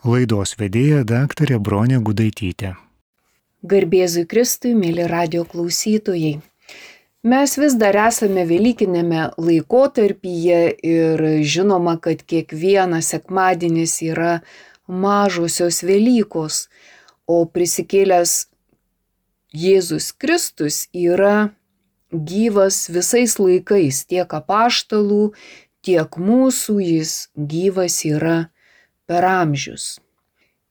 Laidos vedėja daktarė Bronė Gudaitytė. Garbėzui Kristui, mėly radio klausytojai. Mes vis dar esame velykinėme laikotarpyje ir žinoma, kad kiekvienas sekmadienis yra mažosios Velykos, o prisikėlęs Jėzus Kristus yra gyvas visais laikais, tiek apaštalų, tiek mūsų, jis gyvas yra per amžius.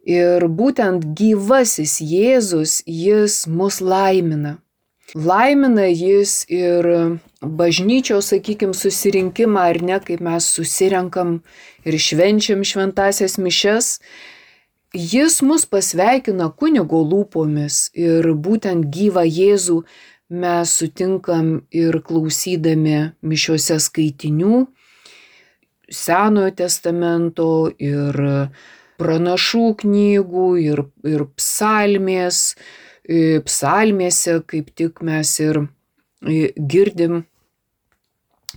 Ir būtent gyvasis Jėzus, jis mus laimina. Laimina jis ir bažnyčios, susirinkimą, ar ne, kaip mes susirenkam ir švenčiam šventąsias mišias. Jis mus pasveikina kunigo lūpomis ir būtent gyvą Jėzų mes sutinkam ir klausydami mišiose skaitinių, Senojo testamento ir pranašų knygų ir psalmėse, kaip tik mes ir girdim,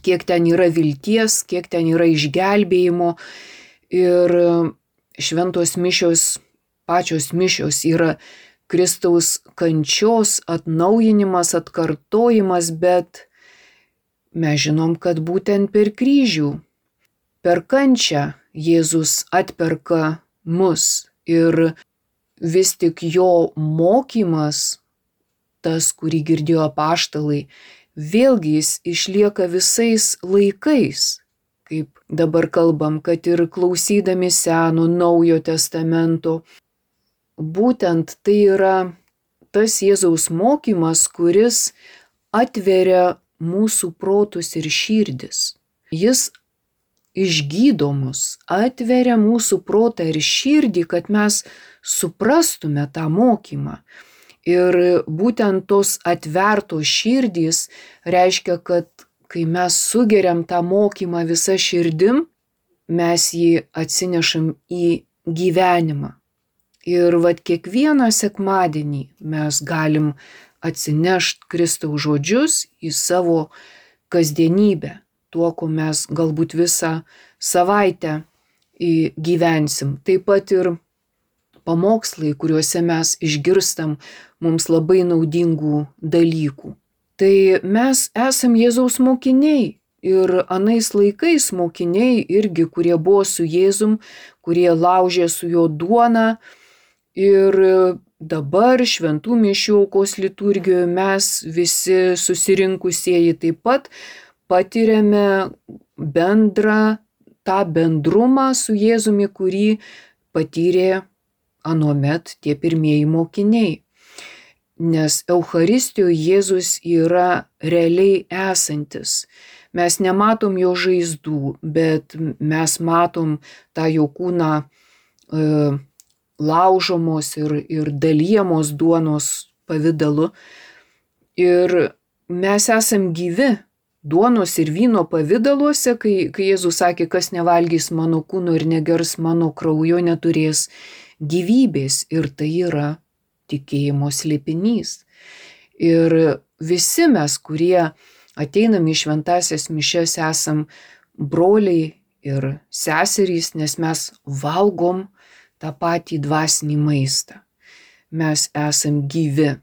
kiek ten yra vilties, kiek ten yra išgelbėjimo. Ir šventos mišios, pačios mišios yra Kristaus kančios atnaujinimas, atkartojimas, bet mes žinom, kad būtent per kryžių, per kančią Jėzus atperka mus ir vis tik jo mokymas, tas, kurį girdėjo apaštalai, vėlgi jis išlieka visais laikais. Kaip dabar kalbam, kad ir klausydami Seno, Naujo testamento, būtent tai yra tas Jėzaus mokymas, kuris atveria mūsų protus ir širdis. Jis išgydo mus, atveria mūsų protą ir širdį, kad mes suprastume tą mokymą. Ir būtent tos atvertos širdys reiškia, kad kai mes sugeriam tą mokymą visą širdim, mes jį atsinešam į gyvenimą. Ir kiekvieną sekmadienį mes galim atsinešti Kristaus žodžius į savo kasdienybę, tuo, ko mes galbūt visą savaitę gyvensim. Taip pat ir pamokslai, kuriuose mes išgirstam mums labai naudingų dalykų. Tai mes esam Jėzaus mokiniai ir anais laikais mokiniai irgi, kurie buvo su Jėzum, kurie laužė su jo duoną. Ir dabar šventų mišių aukos liturgijoje mes visi susirinkusieji taip pat patiriame tą bendrumą su Jėzumi, kurį patyrė anuomet tie pirmieji mokiniai. Nes Eucharistijoje Jėzus yra realiai esantis. Mes nematom jo žaizdų, bet mes matom tą jo kūną laužomos ir dalijamos duonos pavidalu. Ir mes esam gyvi duonos ir vyno pavidaluose, kai Jėzus sakė, kas nevalgys mano kūno ir negers mano kraujo, neturės gyvybės. Ir tai yra tikėjimo slėpinys. Ir visi mes, kurie ateinam į šventąsias mišias, esam broliai ir seserys, nes mes valgom tą patį dvasinį maistą. Mes esam gyvi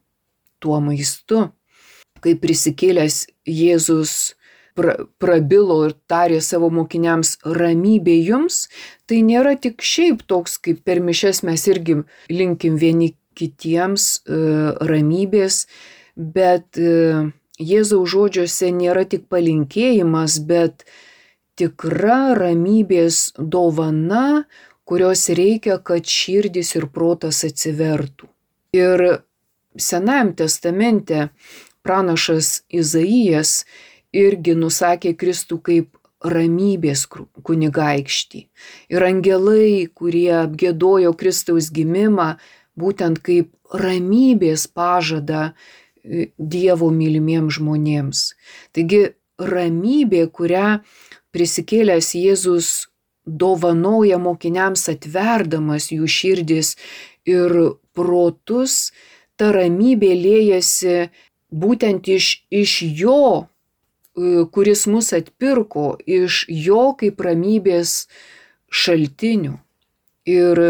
tuo maistu. Kai prisikėlęs Jėzus prabilo ir tarė savo mokiniams ramybė jums, tai nėra tik šiaip toks, kaip per mišias mes irgi linkim vieni kitiems ramybės, bet Jėzaus žodžiuose nėra tik palinkėjimas, bet tikra ramybės dovana, kurios reikia, kad širdis ir protas atsivertų. Ir Senajam testamente pranašas Izaijas irgi nusakė Kristų kaip ramybės kunigaikštį. Ir angelai, kurie apgiedojo Kristaus gimimą, būtent kaip ramybės pažadą Dievo mylimiems žmonėms. Taigi ramybė, kurią prisikėlęs Jėzus dovanoja mokiniams, atverdamas jų širdis ir protus, ta ramybė liejasi būtent iš jo, kuris mus atpirko, iš jo kaip ramybės šaltinių. Ir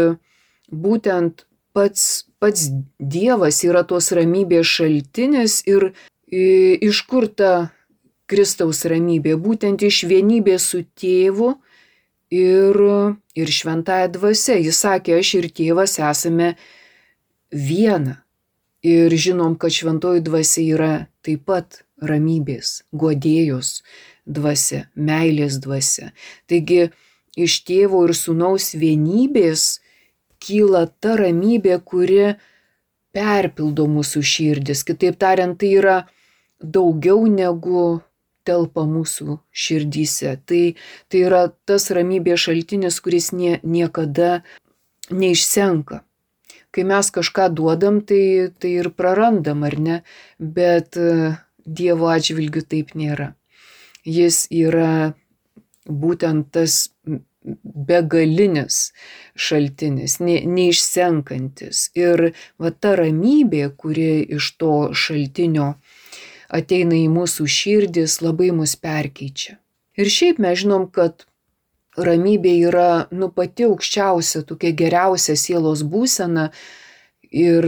būtent pats Dievas yra tos ramybės šaltinis ir iš kur ta Kristaus ramybė? Būtent iš vienybės su Tėvu ir šventąja dvasia. Jis sakė, aš ir Tėvas esame viena. Ir žinom, kad šventoji dvasia yra taip pat ramybės, guodėjos dvasia, meilės dvasia. Taigi iš Tėvo ir Sūnaus vienybės kyla ta ramybė, kuri perpildo mūsų širdis. Kitaip tariant, tai yra daugiau negu telpa mūsų širdyse. Tai yra tas ramybės šaltinis, kuris niekada neišsenka. Kai mes kažką duodam, tai ir prarandam, ar ne? Bet Dievo atžvilgiu taip nėra. Jis yra būtent tas begalinis šaltinis, neišsenkantis. Ir va ta ramybė, kuri iš to šaltinio ateina į mūsų širdis, labai mus perkeičia. Ir šiaip mes žinom, kad ramybė yra pati aukščiausia, tokia geriausia sielos būsena ir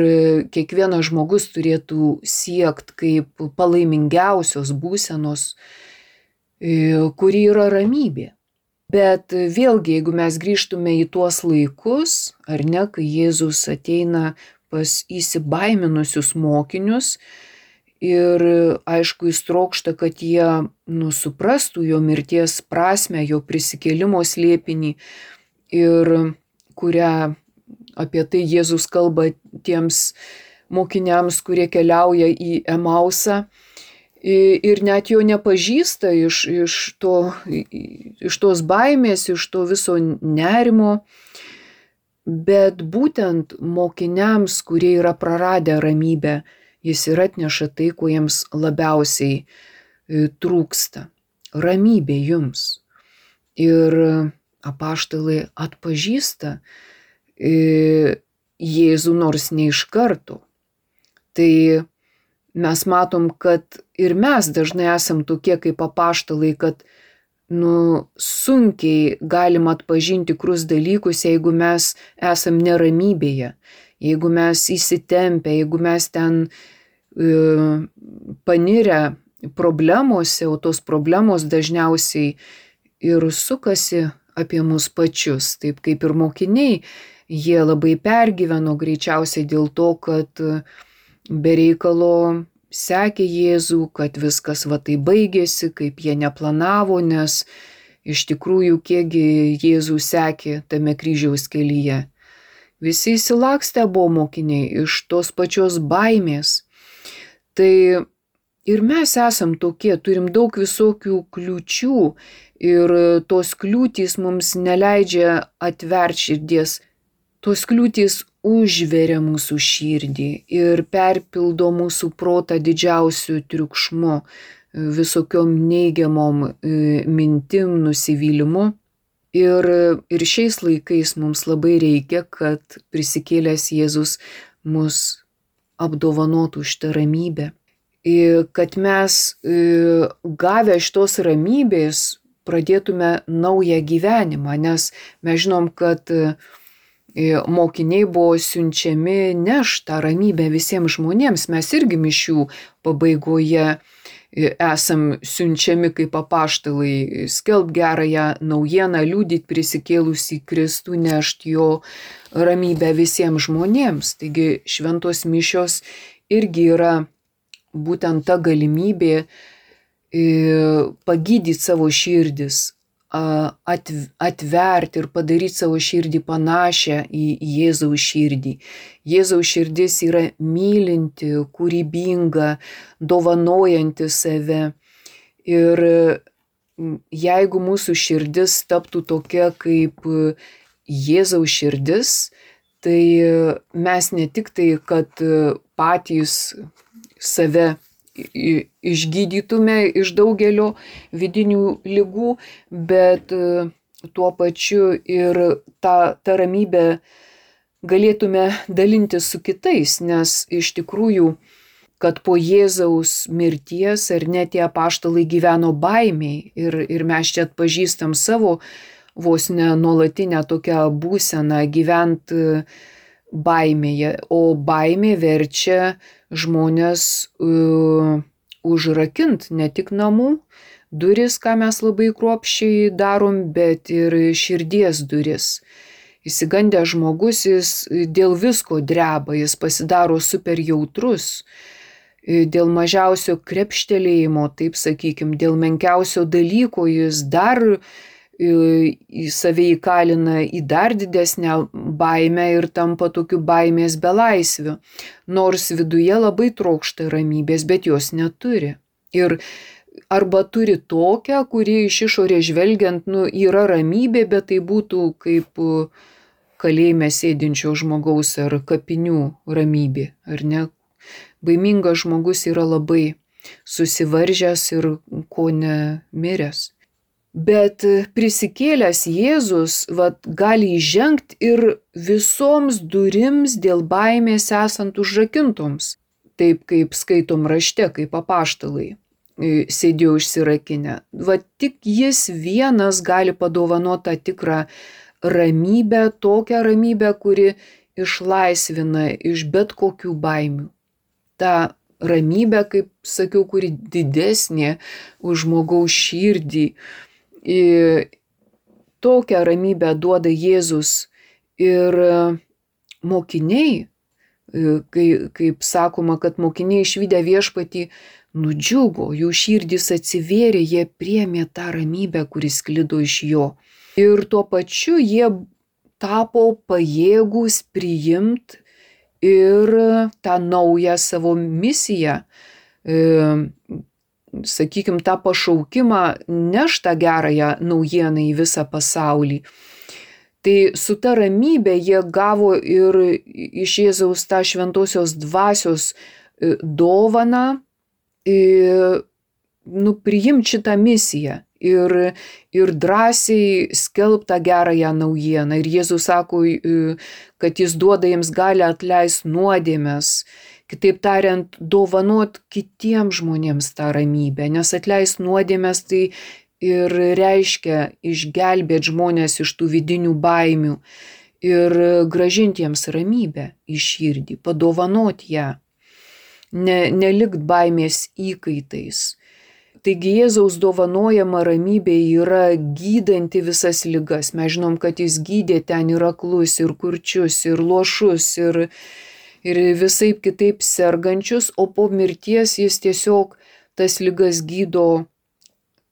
kiekvienas žmogus turėtų siekti kaip palaimingiausios būsenos, kuri yra ramybė. Bet vėlgi, jeigu mes grįžtume į tuos laikus, ar ne, kai Jėzus ateina pas įsibaiminusius mokinius ir aišku, jis trokšta, kad jie suprastų jo mirties prasmę, jo prisikėlimo slėpinį ir kurią apie tai Jėzus kalba tiems mokiniams, kurie keliauja į Emausą ir net jo nepažįsta iš tos baimės, iš to viso nerimo. Bet būtent mokiniams, kurie yra praradę ramybę, jis ir atneša tai, ko jiems labiausiai trūksta. Ramybė jums. Ir apaštalai atpažįsta Jėzų nors ne iš karto. Tai mes matom, kad ir mes dažnai esam tokie kaip apaštalai, kad sunkiai galim atpažinti tikrus dalykus, jeigu mes esam neramybėje, jeigu mes įsitempę, jeigu mes ten panirę problemose, o tos problemos dažniausiai ir sukasi apie mus pačius, taip kaip ir mokiniai, jie labai pergyveno greičiausiai dėl to, kad be reikalo sekė Jėzų, kad viskas va tai baigėsi, kaip jie neplanavo, nes iš tikrųjų kiekgi Jėzų sekė tame kryžiaus kelyje. Visi įsilakstę buvo mokiniai iš tos pačios baimės. Tai ir mes esam tokie, turim daug visokių kliūčių ir tos kliūtys mums neleidžia atverti širdies. Tos kliūtys užveria mūsų širdį ir perpildo mūsų protą didžiausiu triukšmu, visokiom neigiamom mintim, nusivylimu. Ir šiais laikais mums labai reikia, kad prisikėlęs Jėzus mus apdovanotų šitą ramybę. Ir kad mes gavę šitos ramybės pradėtume naują gyvenimą, nes mes žinom, kad mokiniai buvo siunčiami nešti tą ramybę visiems žmonėms. Mes irgi mišių pabaigoje esam siunčiami kaip apaštalai, skelbt gerąją naujieną, liudyt prisikėlusį Kristų, nešti jo ramybę visiems žmonėms. Taigi šventos mišios irgi yra būtent ta galimybė pagydyti savo širdis, atverti ir padaryti savo širdį panašią į Jėzaus širdį. Jėzaus širdis yra mylinti, kūrybinga, dovanojanti save. Ir jeigu mūsų širdis taptų tokia kaip Jėzaus širdis, tai mes ne tik tai, kad patys save išgydytume iš daugelio vidinių ligų, bet tuo pačiu ir tą ramybę galėtume dalintis su kitais, nes iš tikrųjų, kad po Jėzaus mirties ar ne tie apaštalai gyveno baimiai ir mes čia atpažįstam savo vos ne nuolatinę tokią būseną gyventi baimėje, o baimė verčia žmonės užrakint ne tik namų duris, ką mes labai kruopščiai darom, bet ir širdies duris. Įsigandęs žmogus, jis dėl visko dreba, jis pasidaro super jautrus, dėl mažiausio krepštelėjimo, taip sakykim, dėl menkiausio dalyko jis dar į save įkalina į dar didesnę baimę ir tampa tokiu baimės belaisviu, nors viduje labai trokšta ramybės, bet jos neturi. Ir arba turi tokią, kuri iš išorės žvelgiant, yra ramybė, bet tai būtų kaip kalėjime sėdinčio žmogaus ar kapinių ramybė, ar ne? Baimingas žmogus yra labai susivaržęs ir ko ne miręs. Bet prisikėlęs Jėzus gali įžengti ir visoms durims dėl baimės esant užrakintoms, taip kaip skaitom rašte, kaip apaštalai sėdėjo užsirakinę. Tik jis vienas gali padovanoti tą tikrą ramybę, tokią ramybę, kuri išlaisvina iš bet kokių baimių. Ta ramybė, kaip sakiau, kuri didesnė už žmogaus širdį. Tokią ramybę duoda Jėzus ir mokiniai, kaip sakoma, kad mokiniai išvydę viešpatį nudžiugo, jų širdys atsivėrė, jie priėmė tą ramybę, kuris sklido iš jo. Ir tuo pačiu jie tapo pajėgūs priimti ir tą naują savo misiją, sakykim, tą pašaukimą nešt tą gerąją naujieną į visą pasaulį. Tai su ta ramybė jie gavo ir iš Jėzaus tą šventosios dvasios dovaną, priimti šitą misiją ir drąsiai skelbti tą gerąją naujieną. Ir Jėzus sako, kad jis duoda jiems galią atleisti nuodėmes, kitaip tariant, dovanot kitiems žmonėms tą ramybę, nes atleisti nuodėmes tai ir reiškia išgelbėti žmonės iš tų vidinių baimių ir grąžinti jiems ramybę į širdį, padovanot ją, nelikt baimės įkaitais. Taigi Jėzaus dovanojama ramybė yra gydanti visas ligas. Mes žinom, kad jis gydė ten ir aklus, ir kurčius, ir luošus, ir visaip kitaip sergančius, o po mirties jis tiesiog tas ligas gydo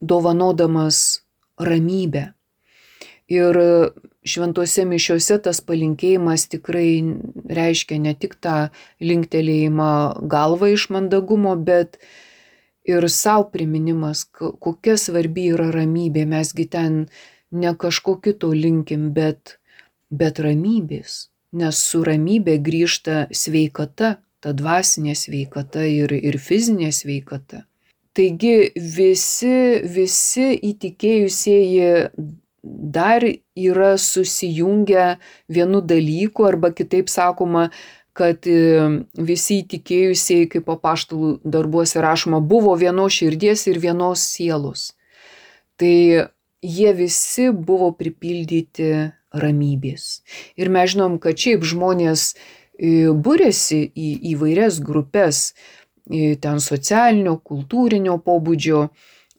dovanodamas ramybę. Ir šventose mišiose tas palinkėjimas tikrai reiškia ne tik tą linktelėjimą galvą iš mandagumo, bet ir savo priminimas, kokia svarbi yra ramybė. Mesgi ten ne kažko kito linkim, bet ramybės. Nes su ramybė grįžta sveikata, ta dvasinė sveikata ir fizinė sveikata. Taigi visi įtikėjusieji dar yra susijungę vienu dalyku, arba kitaip sakoma, kad visi įtikėjusieji, kaip apaštalų darbuose rašoma, buvo vienos širdies ir vienos sielos. Tai jie visi buvo pripildyti ramybės. Ir mes žinom, kad šiaip žmonės būrėsi į įvairias grupės, ten socialinio, kultūrinio pobūdžio,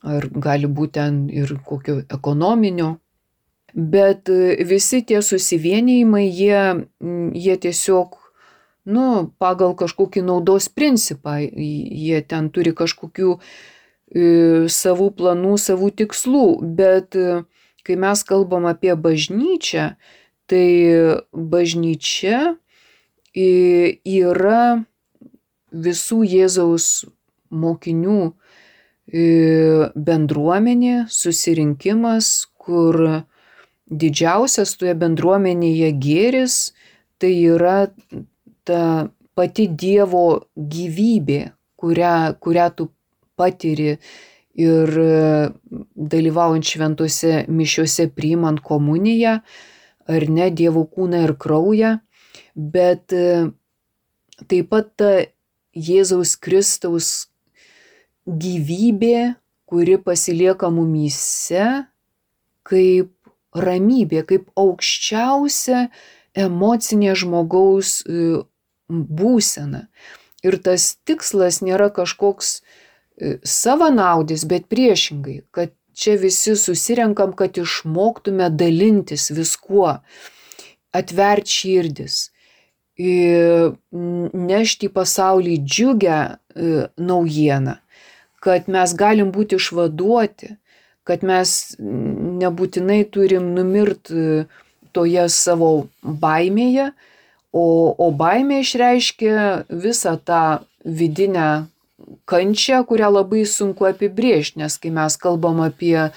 ar gali būti ten ir kokio ekonominio. Bet visi tie susivienijimai, jie tiesiog pagal kažkokį naudos principą, jie ten turi kažkokių savų planų, savų tikslų, bet kai mes kalbam apie bažnyčią, tai bažnyčia yra visų Jėzaus mokinių bendruomenė, susirinkimas, kur didžiausias toje bendruomenėje gėris, tai yra ta pati Dievo gyvybė, kurią tu patiri ir dalyvaujant šventose mišiose, priimant komuniją, ar ne, Dievo kūną ir kraują, bet taip pat ta Jėzaus Kristaus gyvybė, kuri pasilieka mumyse kaip ramybė, kaip aukščiausia emocinė žmogaus būsena. Ir tas tikslas nėra kažkoks savanaudis, bet priešingai, kad čia visi susirenkam, kad išmoktume dalintis viskuo, atverti širdis, nešti į pasaulį džiugę naujieną, kad mes galim būti išvaduoti, kad mes nebūtinai turim numirti toje savo baimėje, o baimė išreiškia visą tą vidinę kančią, kurią labai sunku apibrėžti, nes kai mes kalbam apie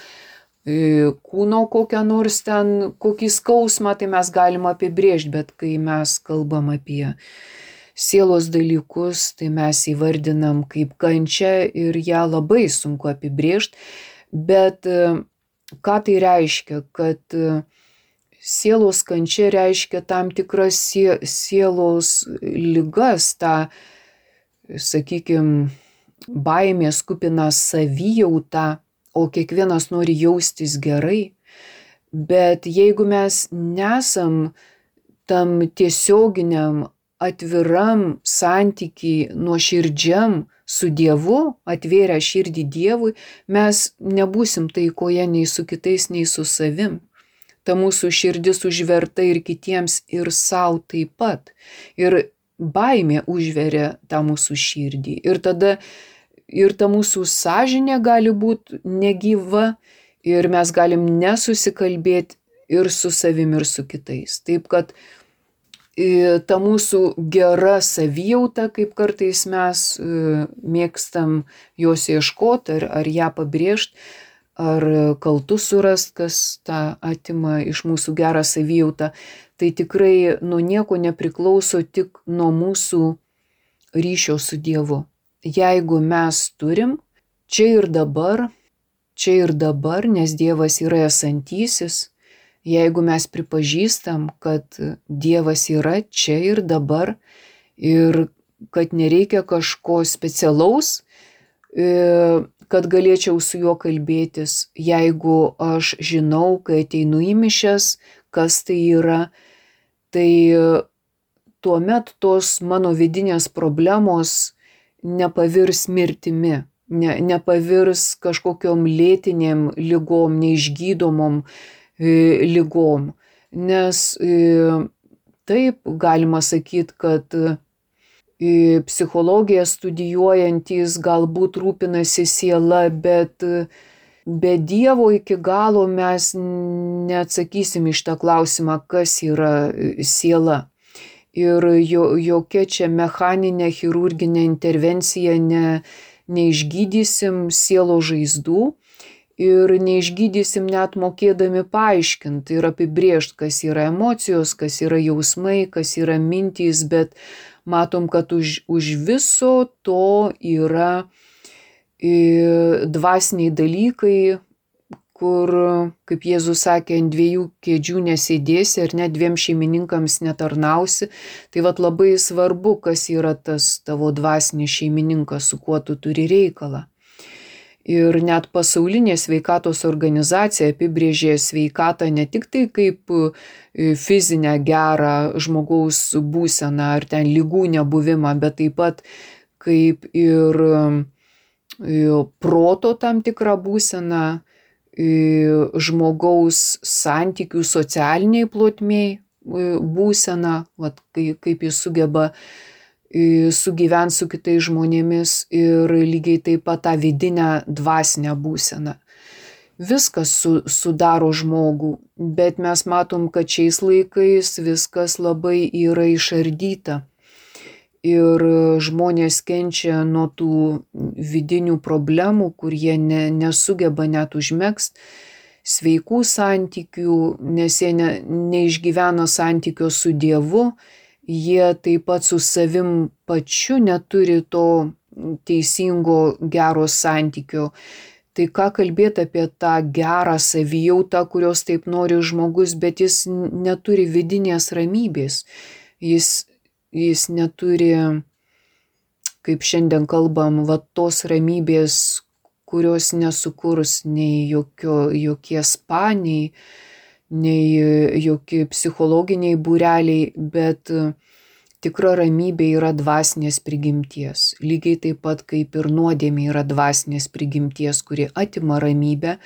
kūno kokią nors ten, kokį skausmą, tai mes galim apibrėžti, bet kai mes kalbam apie sielos dalykus, tai mes įvardinam kaip kančią ir ją labai sunku apibrėžti, bet ką tai reiškia, kad sielos kančia reiškia tam tikras sielos ligas, tą, sakykime, baimės kupiną savijautą, o kiekvienas nori jaustis gerai, bet jeigu mes nesam tam tiesioginiam, atviram santykiai nuoširdžiam su Dievu, atvėrę širdį Dievui, mes nebūsim taikoje nei su kitais, nei su savim. Ta mūsų širdis užverta ir kitiems, ir sau taip pat. Ir baimė užveria tą mūsų širdį. Ir tada ir ta mūsų sąžinė gali būti negyva ir mes galim nesusikalbėti ir su savim, ir su kitais. Taip kad ta mūsų gera savijauta, kaip kartais mes mėgstam jos ieškoti ar ją pabrėžti, ar kaltus surast, kas tą atima iš mūsų gerą savijautą, tai tikrai nuo nieko nepriklauso, tik nuo mūsų ryšio su Dievu. Jeigu mes turim čia ir dabar, nes Dievas yra esantysis, jeigu mes pripažįstam, kad Dievas yra čia ir dabar ir kad nereikia kažko specialaus, kad galėčiau su juo kalbėtis, jeigu aš žinau, kai ateinu į mišias, kas tai yra, tai tuomet tos mano vidinės problemos nepavirs mirtimi, nepavirs kažkokiom lėtinėm ligom, neišgydomom ligom. Nes taip galima sakyti, kad psichologiją studijuojantys galbūt rūpinasi siela, bet be Dievo iki galo mes neatsakysim iš tą klausimą, kas yra siela. Ir jokia čia mechaninė chirurginė intervencija neišgydysim sielo žaizdų ir neišgydysim net mokėdami paaiškinti ir apibrėžti, kas yra emocijos, kas yra jausmai, kas yra mintys, bet matom, kad už viso to yra dvasiniai dalykai, kur, kaip Jėzus sakė, ant dviejų kėdžių nesėdėsi ir net dviem šeimininkams netarnausi. Tai vat labai svarbu, kas yra tas tavo dvasinis šeimininkas, su kuo tu turi reikalą. Ir net pasaulinė sveikatos organizacija apibrėžė sveikatą ne tik tai kaip fizinę gerą žmogaus būseną ar ten ligų nebuvimą, bet taip pat kaip ir proto tam tikrą būseną, žmogaus santykių socialiniai plotmėj būseną, kaip jis sugeba sugyventi su kitais žmonėmis ir lygiai taip pat tą vidinę dvasinę būseną. Viskas sudaro žmogų, bet mes matom, kad šiais laikais viskas labai yra išardyta. Ir žmonės kenčia nuo tų vidinių problemų, kur jie nesugeba net užmegzti sveikų santykių, nes jie neišgyvena santykio su Dievu, jie taip pat su savim pačiu neturi to teisingo gero santykio. Tai ką kalbėti apie tą gerą savijautą, kurios taip nori žmogus, bet jis neturi vidinės ramybės. Jis neturi, kaip šiandien kalbam, tos ramybės, kurios nesukurs nei jokie spa, nei nei jokie psichologiniai būreliai, bet tikra ramybė yra dvasinės prigimties. Lygiai taip pat kaip ir nuodėmė yra dvasinės prigimties, kuri atima ramybę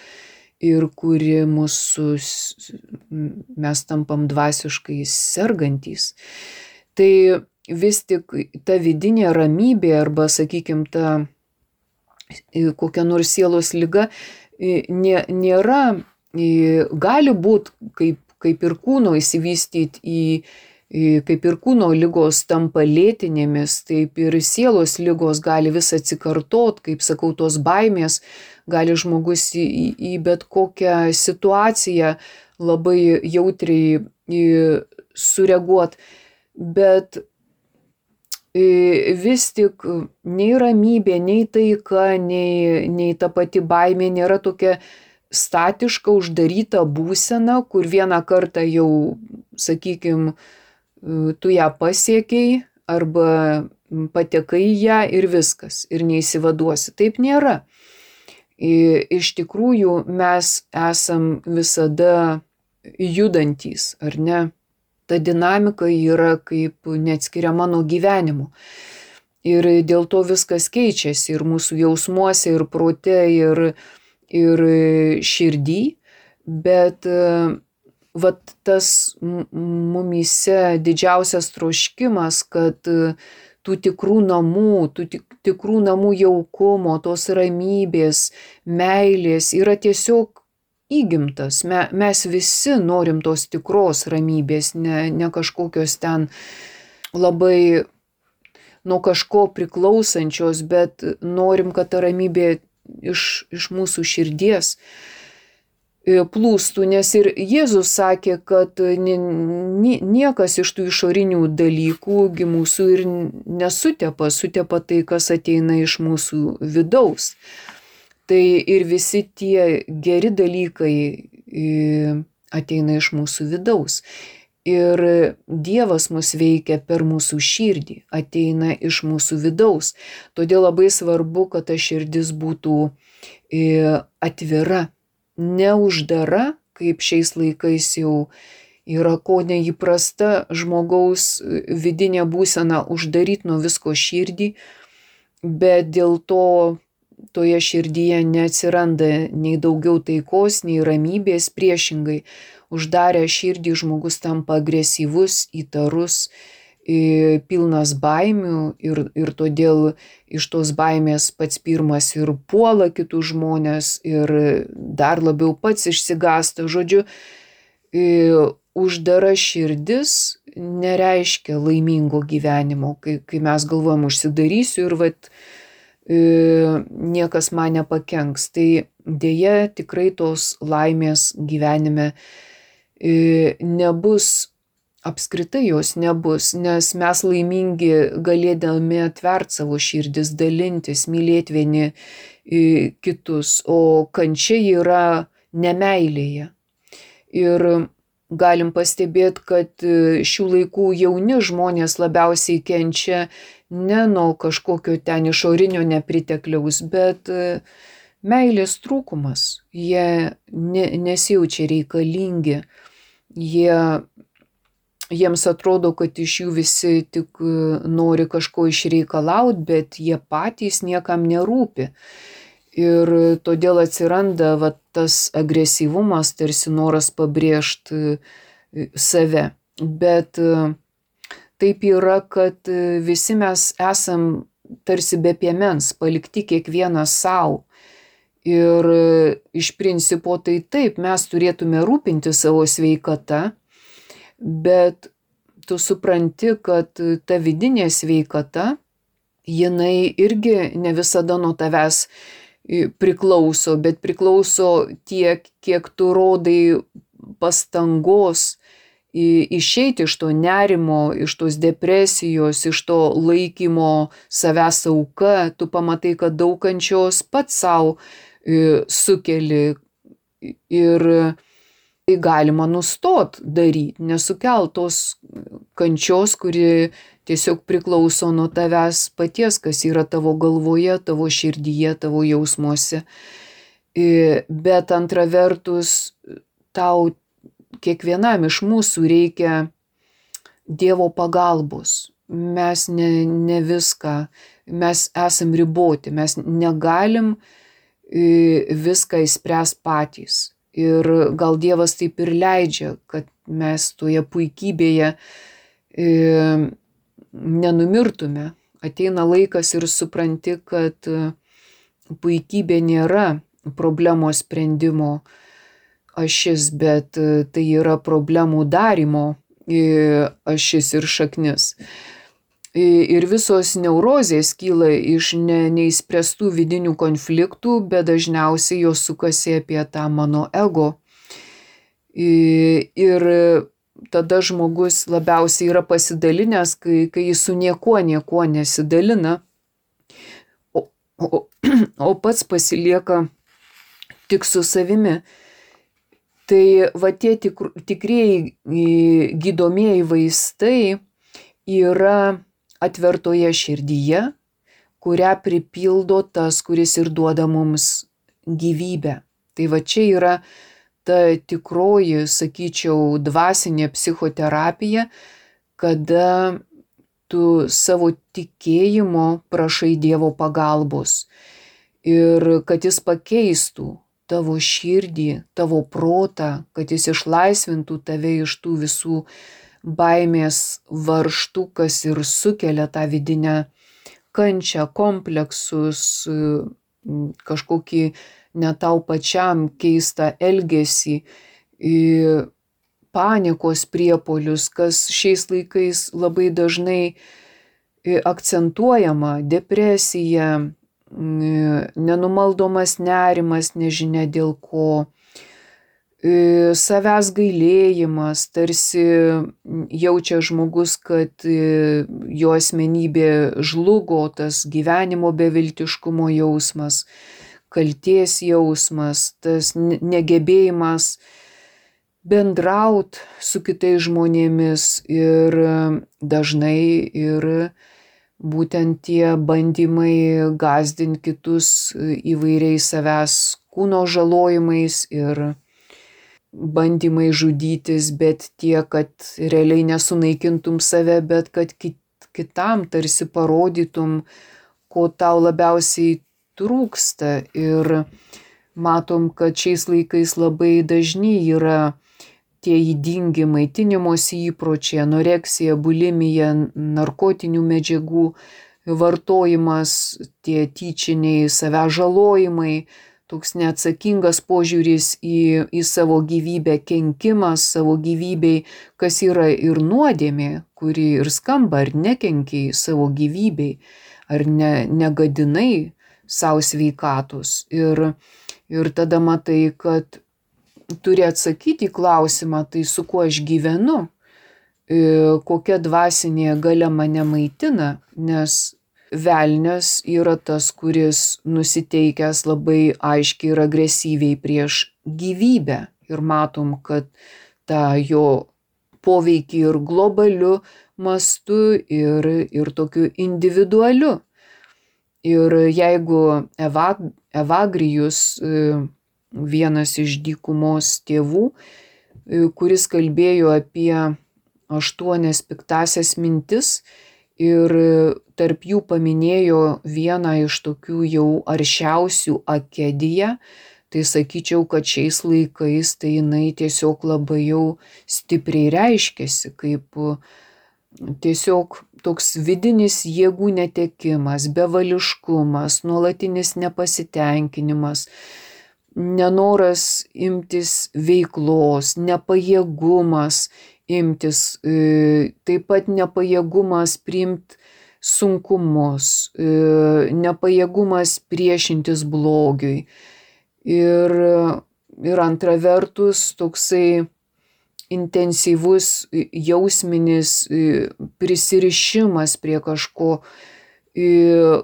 ir kuri mes tampam dvasiškai sergantys. Tai vis tik ta vidinė ramybė arba, sakykime, ta kokia nors sielos liga nėra, gali būti kaip ir kūno įsivystyti kaip ir kūno ligos tampa lėtinėmis, taip ir sielos ligos gali vis atsikartot, kaip sakau, tos baimės, gali žmogus į bet kokią situaciją labai jautriai sureaguot, bet vis tik nei ramybė, nei taika, nei ta pati baimė nėra tokia statiška, uždaryta būsena, kur vieną kartą jau, sakykime, tu ją pasiekiai arba patekai į ją ir viskas, ir neįsivaduosi. Taip nėra. Iš tikrųjų mes esam visada judantys, ar ne? Ta dinamika yra kaip neatskiriama nuo gyvenimo. Ir dėl to viskas keičiasi ir mūsų jausmuose, ir prote, ir širdį, bet vat tas mumyse didžiausias troškimas, kad tų tikrų namų jaukumo, tos ramybės, meilės yra tiesiog įgimtas. Mes visi norim tos tikros ramybės, ne kažkokios ten labai nuo kažko priklausančios, bet norim, kad ta ramybė iš mūsų širdies plūstų, nes ir Jėzus sakė, kad niekas iš tų išorinių dalykų mūsų ir sutepa tai, kas ateina iš mūsų vidaus. Tai ir visi tie geri dalykai ateina iš mūsų vidaus. Ir Dievas mus veikia per mūsų širdį, ateina iš mūsų vidaus. Todėl labai svarbu, kad ta širdis būtų atvira, neuždara, kaip šiais laikais jau yra ko neįprasta žmogaus vidinė būsena uždaryti nuo visko širdį, bet dėl to toje širdyje neatsiranda nei daugiau taikos, nei ramybės, priešingai. Uždarę širdį žmogus tampa agresyvus, įtarus, pilnas baimių ir todėl iš tos baimės pats pirmas ir puola kitus žmonės ir dar labiau pats išsigąsta. Žodžiu, uždara širdis nereiškia laimingo gyvenimo, kai mes galvojam užsidarysiu ir niekas man nepakenks. Tai dėja tikrai tos laimės gyvenime nebus. Apskritai jos nebus, nes mes laimingi galėdami atvert savo širdis, dalintis, mylėti vieni kitus, o kančia yra nemeilėje. Ir galim pastebėti, kad šių laikų jauni žmonės labiausiai kenčia ne nuo kažkokio ten išorinio nepritekliaus, bet meilės trūkumas. Jie nesijaučia reikalingi, jiems atrodo, kad iš jų visi tik nori kažko išreikalauti, bet jie patys niekam nerūpi. Ir todėl atsiranda tas agresyvumas, tarsi noras pabrėžti save. Bet taip yra, kad visi mes esam tarsi be piemens, palikti kiekvienas savo. Ir iš principo tai taip, mes turėtume rūpinti savo sveikata, bet tu supranti, kad ta vidinė sveikata, jinai irgi ne visada nuo tavęs priklauso, bet priklauso tiek, kiek tu rodai pastangos išeiti iš to nerimo, iš tos depresijos, iš to laikymo savęs auka. Tu pamatai, kad daug kančios pats savo sukeli ir tai galima nustot daryti, nesukelt tos kančios, kuri tiesiog priklauso nuo tavęs paties, kas yra tavo galvoje, tavo širdyje, tavo jausmuose. Bet antra vertus, tau kiekvienam iš mūsų reikia Dievo pagalbos. Mes ne viską, mes esam riboti, mes negalim viską išspręs patys. Ir gal Dievas taip ir leidžia, kad mes toje puikybėje nenumirtume. Ateina laikas ir supranti, kad puikybė nėra problemos sprendimo ašis, bet tai yra problemų darymo ašis ir šaknis. Ir visos neurozės kyla iš neįspręstų vidinių konfliktų, bet dažniausiai jos sukasi apie tą mano ego. Ir tada žmogus labiausiai yra pasidalinęs, kai jis su niekuo nesidalina, o pats pasilieka tik su savimi. Tai va tie tikrieji gydomieji vaistai yra atvertoje širdyje, kurią pripildo tas, kuris ir duoda mums gyvybę. Tai va čia yra ta tikroji, sakyčiau, dvasinė psichoterapija, kada tu savo tikėjimo prašai Dievo pagalbos ir kad jis pakeistų tavo širdį, tavo protą, kad jis išlaisvintų tave iš tų visų baimės varžtų, kas ir sukelia tą vidinę kančią, kompleksus, kažkokį ne tau pačiam keistą elgesį, panikos priepuolius, kas šiais laikais labai dažnai akcentuojama, depresija, nenumaldomas nerimas, nežinia dėl ko, savęs gailėjimas, tarsi jaučia žmogus, kad jo asmenybė žlugo, tas gyvenimo beviltiškumo jausmas, kaltės jausmas, tas negebėjimas bendraut su kitais žmonėmis ir dažnai ir būtent tie bandymai gąsdinti kitus įvairiais savęs kūno žalojimais ir bandymai žudytis, bet tiek, kad realiai nesunaikintum save, bet kad kitam tarsi parodytum, ko tau labiausiai trūksta. Ir matom, kad šiais laikais labai dažni yra tie ydingi maitinimosi įpročiai, anoreksija, bulimija, narkotinių medžiagų vartojimas, tie tyčiniai savęs žalojimai, toks neatsakingas požiūris į savo gyvybę, kenkimas savo gyvybei, kas yra ir nuodėmė, kuri ir skamba, ar nekenkiai savo gyvybei, ar negadinai savo sveikatos. Ir tada matai, kad turi atsakyti į klausimą, tai su kuo aš gyvenu, kokia dvasinė galia mane maitina, nes velnias yra tas, kuris nusiteikęs labai aiškiai ir agresyviai prieš gyvybę. Ir matom, kad tą jo poveikį ir globaliu mastu, ir tokiu individualiu. Ir jeigu Evagrijus, vienas iš dykumos tėvų, kuris kalbėjo apie 8 piktąsias mintis ir tarp jų paminėjo vieną iš tokių jau aršiausių akediją, tai sakyčiau, kad šiais laikais tai jinai tiesiog labai jau stipriai reiškiasi, kaip tiesiog toks vidinis jėgų netekimas, bevališkumas, nuolatinis nepasitenkinimas, nenoras imtis veiklos, nepajėgumas imtis, taip pat nepajėgumas priimti sunkumus, nepajėgumas priešintis blogiui. Ir antra vertus toksai intensyvus jausminis prisirišimas prie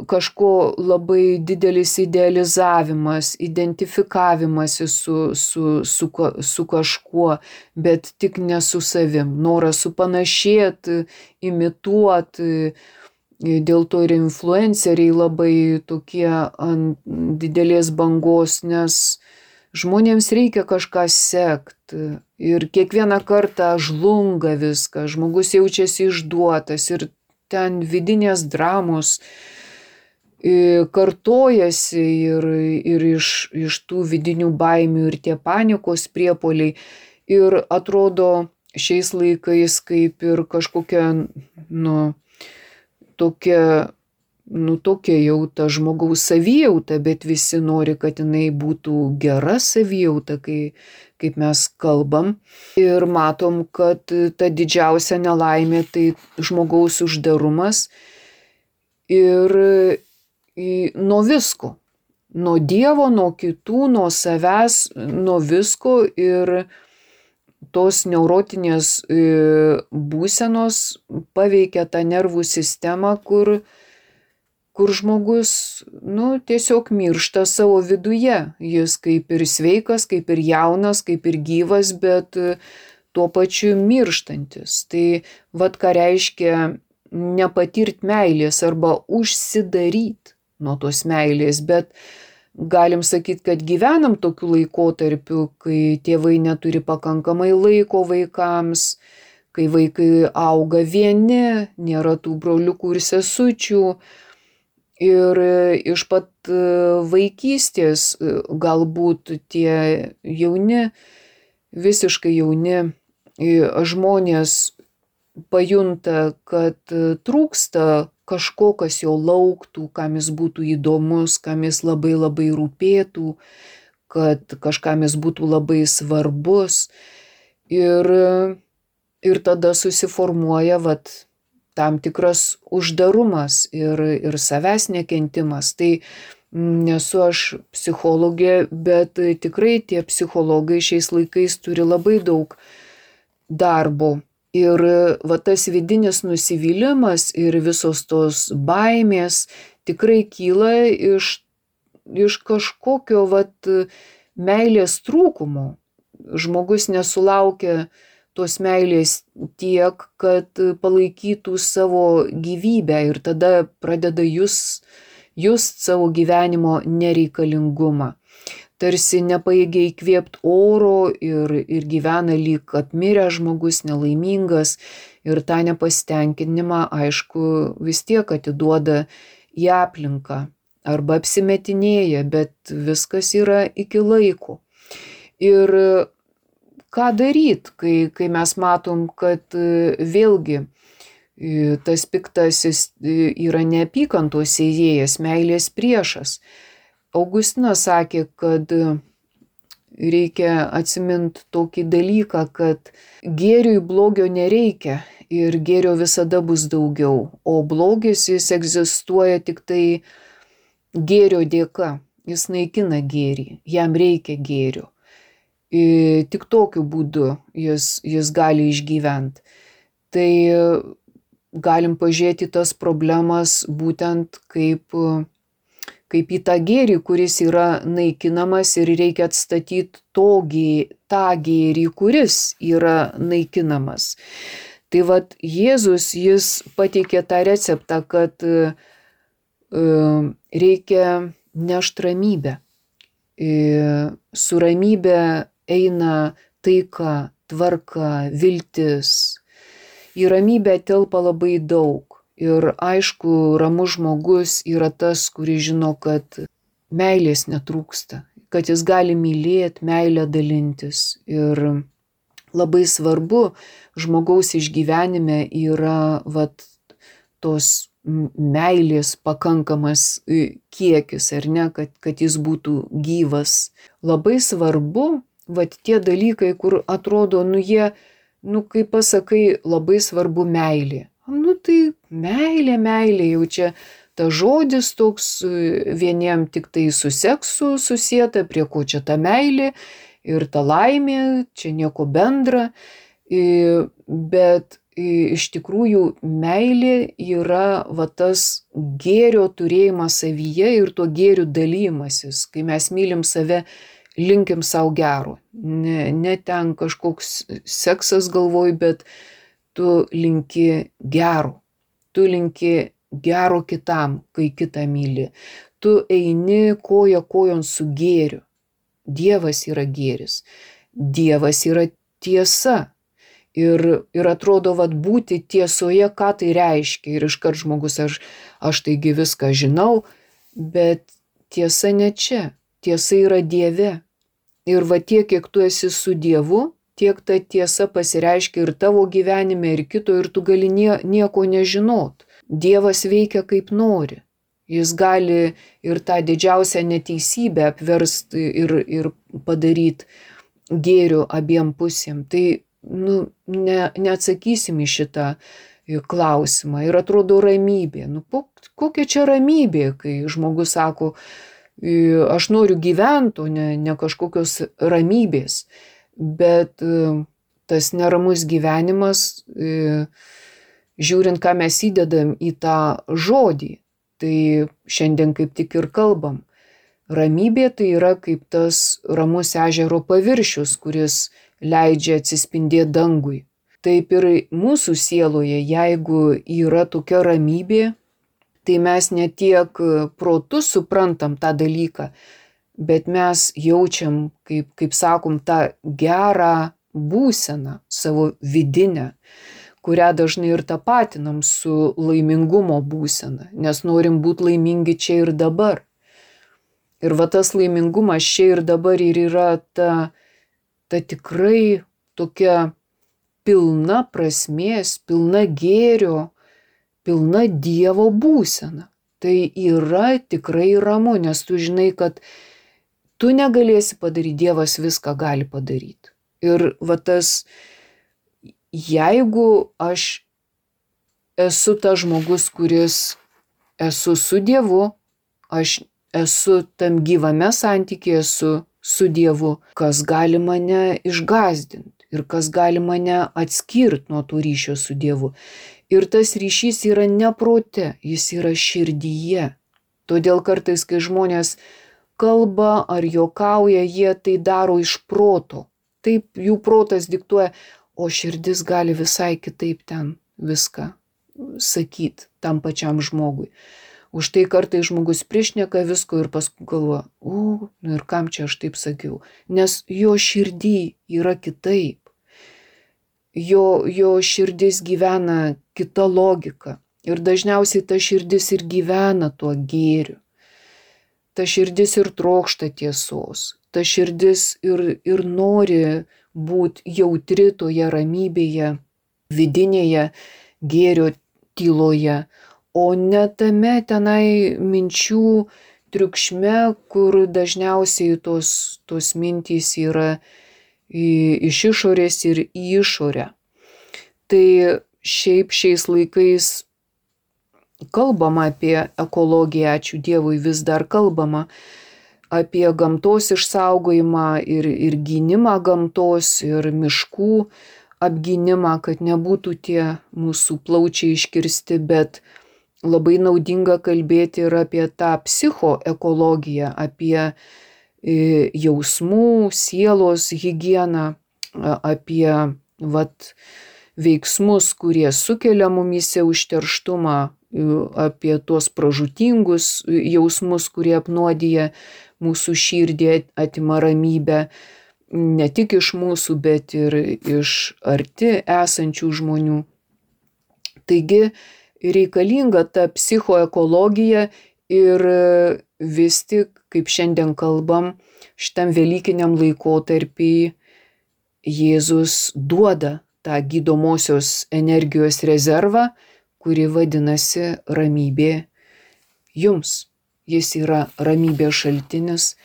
kažko labai didelis idealizavimas, identifikavimas su kažkuo, bet tik ne su savim, noras supanašėti, imituoti. Dėl to ir influenceriai labai tokie ant didelės bangos, nes žmonėms reikia kažką sekti ir kiekvieną kartą žlunga viskas, žmogus jaučiasi išduotas ir ten vidinės dramos kartojasi ir iš tų vidinių baimių ir tie panikos priepuoliai ir atrodo šiais laikais kaip ir kažkokia, tokia jau ta žmogaus savijauta, bet visi nori, kad jinai būtų gera savijauta, kaip mes kalbam. Ir matom, kad ta didžiausia nelaimė tai žmogaus uždarumas ir nuo visko. Nuo Dievo, nuo kitų, nuo savęs, nuo visko ir tos neurotinės būsenos paveikia tą nervų sistemą, kur žmogus, tiesiog miršta savo viduje. Jis kaip ir sveikas, kaip ir jaunas, kaip ir gyvas, bet tuo pačiu mirštantis. Tai ką reiškia nepatirt meilės arba užsidaryt nuo tos meilės, bet galim sakyti, kad gyvenam tokiu laikotarpiu, kai tėvai neturi pakankamai laiko vaikams, kai vaikai auga vieni, nėra tų broliukų ir sesučių. Ir iš pat vaikystės galbūt tie jauni, visiškai jauni žmonės pajunta, kad trūksta kažko, kas jo lauktų, kam jis būtų įdomus, kam jis labai labai rūpėtų, kad kažkam jis būtų labai svarbus. Ir tada susiformuoja tam tikras uždarumas ir savęs nekentimas. Tai nesu aš psichologė, bet tikrai tie psichologai šiais laikais turi labai daug darbo. Ir tas vidinis nusivylimas ir visos tos baimės tikrai kyla iš kažkokio meilės trūkumo. Žmogus nesulaukia tos meilės tiek, kad palaikytų savo gyvybę ir tada pradeda just savo gyvenimo nereikalingumą. Tarsi nepajėgia įkvėpti oro ir gyvena lyg apmiręs žmogus, nelaimingas ir tą nepasitenkinimą, aišku, vis tiek atiduoda į aplinką arba apsimetinėja, bet viskas yra iki laiko. Ir ką daryt, kai mes matom, kad vėlgi tas piktasis yra neapykantos sėjėjas, meilės priešas. Augustinas sakė, kad reikia atsimint tokį dalyką, kad gėriui blogio nereikia ir gėrio visada bus daugiau, o blogis jis egzistuoja tik tai gėrio dėka, jis naikina gėrį, jam reikia gėrio. Tik tokiu būdu jis gali išgyventi. Tai galim pažiūrėti tas problemas būtent kaip į tą gėrį, kuris yra naikinamas ir reikia atstatyti tą gėrį, kuris yra naikinamas. Tai Jėzus, jis pateikė tą receptą, kad reikia nešti ramybę. Su ramybė eina taika, tvarka, viltis. Į ramybę telpa labai daug. Ir aišku, ramus žmogus yra tas, kuris žino, kad meilės netrūksta, kad jis gali mylėti, meilę dalintis. Ir labai svarbu žmogaus išgyvenime yra tos meilės pakankamas kiekis, ar ne, kad jis būtų gyvas. Labai svarbu, tie dalykai, kur atrodo, jie, kaip pasakai, labai svarbu meilė. Tai meilė, jau čia ta žodis toks vieniem tik tai su seksu susieta, prie ko čia ta meilė ir ta laimė, čia nieko bendra, bet iš tikrųjų meilė yra tas gėrio turėjimas savyje ir to gėrių dalymasis, kai mes mylim save, linkim savo gero, ne ten kažkoks seksas galvoj, bet tu linki gero. Tu linki gero kitam, kai kitą myli. Tu eini koja kojon su gėriu. Dievas yra gėris. Dievas yra tiesa. Ir atrodo, būti tiesoje, ką tai reiškia. Ir iškart žmogus, aš taigi viską žinau, bet tiesa ne čia. Tiesa yra Dieve. Ir tiek, kiek tu esi su Dievu, tiek ta tiesa pasireiškia ir tavo gyvenime, ir kito, ir tu gali nieko nežinot. Dievas veikia kaip nori. Jis gali ir tą didžiausią neteisybę apversti ir padaryti gėriu abiem pusėm. Tai neatsakysim į šitą klausimą. Ir atrodo ramybė. Kokia čia ramybė, kai žmogus sako, aš noriu gyventi, o ne kažkokios ramybės. Bet tas neramus gyvenimas, žiūrint, ką mes įdedam į tą žodį, tai šiandien kaip tik ir kalbam. Ramybė tai yra kaip tas ramus ežero paviršius, kuris leidžia atsispindėti dangui. Taip ir mūsų sieloje, jeigu yra tokia ramybė, tai mes ne tiek protu suprantam tą dalyką, bet mes jaučiam, kaip sakom, tą gerą būseną, savo vidinę, kurią dažnai ir tapatinam su laimingumo būsena, nes norim būti laimingi čia ir dabar. Ir tas laimingumas čia ir dabar ir yra ta tikrai tokia pilna prasmės, pilna gėrio, pilna Dievo būsena. Tai yra tikrai ramu, nes tu žinai, kad tu negalėsi padaryti, Dievas viską gali padaryti. Ir tas, jeigu aš esu tas žmogus, kuris esu su Dievu, aš esu tam gyvame santykyje su Dievu, kas gali mane išgąsdinti ir kas gali mane atskirti nuo to ryšio su Dievu. Ir tas ryšys yra ne prote, jis yra širdyje. Todėl kartais, kai žmonės kalba ar juokauja, jie tai daro iš proto. Taip jų protas diktuoja, o širdis gali visai kitaip ten viską sakyti tam pačiam žmogui. Už tai kartais žmogus priešneka visko ir paskui galvoja, ir kam čia aš taip sakiau. Nes jo širdį yra kitaip. Jo širdis gyvena kita logika. Ir dažniausiai ta širdis ir gyvena tuo gėriu. Ta širdis ir trokšta tiesos. Ta širdis ir nori būti jautri toje ramybėje, vidinėje gėrio tyloje. O ne tame tenai minčių triukšme, kur dažniausiai tos mintys yra iš išorės ir į išorę. Tai šiaip šiais laikais kalbama apie ekologiją, ačiū Dievui, vis dar kalbama apie gamtos išsaugojimą ir gynimą gamtos ir miškų apgynimą, kad nebūtų tie mūsų plaučiai iškirsti, bet labai naudinga kalbėti ir apie tą psichoekologiją, apie jausmų, sielos higieną, apie veiksmus, kurie sukelia mumyse užterštumą, apie tuos pražūtingus jausmus, kurie apnuodija mūsų širdį, atima ramybę, ne tik iš mūsų, bet ir iš arti esančių žmonių. Taigi, reikalinga ta psichoekologija ir vis tik, kaip šiandien kalbam, šitam velykiniam laikotarpį Jėzus duoda tą gydomosios energijos rezervą, kuri vadinasi ramybė jums. Jis yra ramybės šaltinis,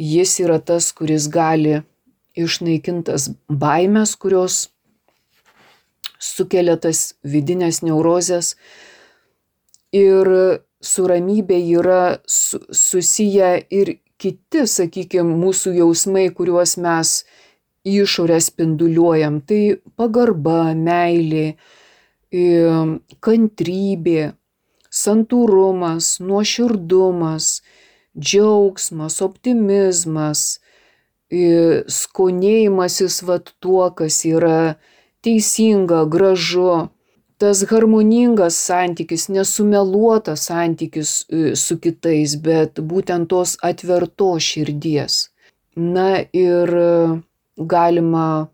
jis yra tas, kuris gali išnaikintas baimės, kurios sukelia tas vidinės neurozes. Ir su ramybė yra susiję ir kiti, sakykime, mūsų jausmai, kuriuos mes išorę spinduliuojam. Tai pagarba, meilė, kantrybė, santūrumas, nuoširdumas, džiaugsmas, optimizmas, skonėjimasis tuo, kas yra teisinga, gražu, tas harmoningas santykis, nesumeluotas santykis su kitais, bet būtent tos atvertos širdies. Na ir galima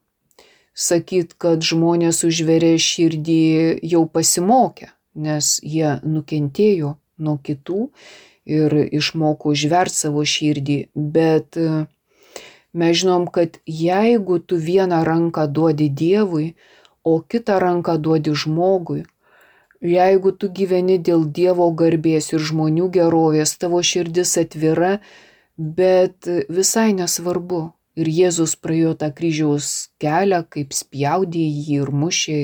sakyti, kad žmonės užveria širdį jau pasimokę, nes jie nukentėjo nuo kitų ir išmoko užverti savo širdį. Bet mes žinom, kad jeigu tu vieną ranką duodi Dievui, o kitą ranką duodi žmogui, jeigu tu gyveni dėl Dievo garbės ir žmonių gerovės, tavo širdis atvira, bet visai nesvarbu. Ir Jėzus praėjo tą kryžiaus kelią, kaip spjaudė jį ir mušė,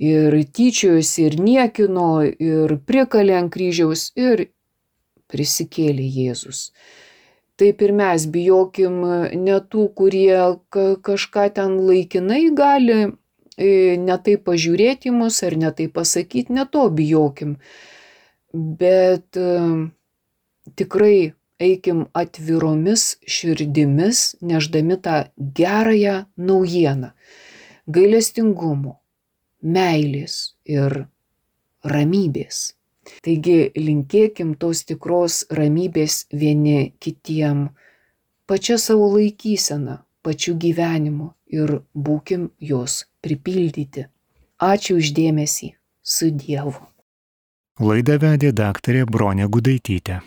ir tyčiojosi, ir niekino, ir prikalė ant kryžiaus, ir prisikėlė Jėzus. Taip ir mes bijokim ne tų, kurie kažką ten laikinai gali ne taip pažiūrėti į mus ar ne taip pasakyti, ne to bijokim. Bet tikrai eikim atviromis širdimis, neždami tą gerąją naujieną, gailestingumo, meilės ir ramybės. Taigi linkėkim tos tikros ramybės vieni kitiem, pačia savo laikysena, pačiu gyvenimu ir būkim jos pripildyti. Ačiū už dėmesį. Su Dievu. Laidą vedė daktarė Bronė Gudaitytė.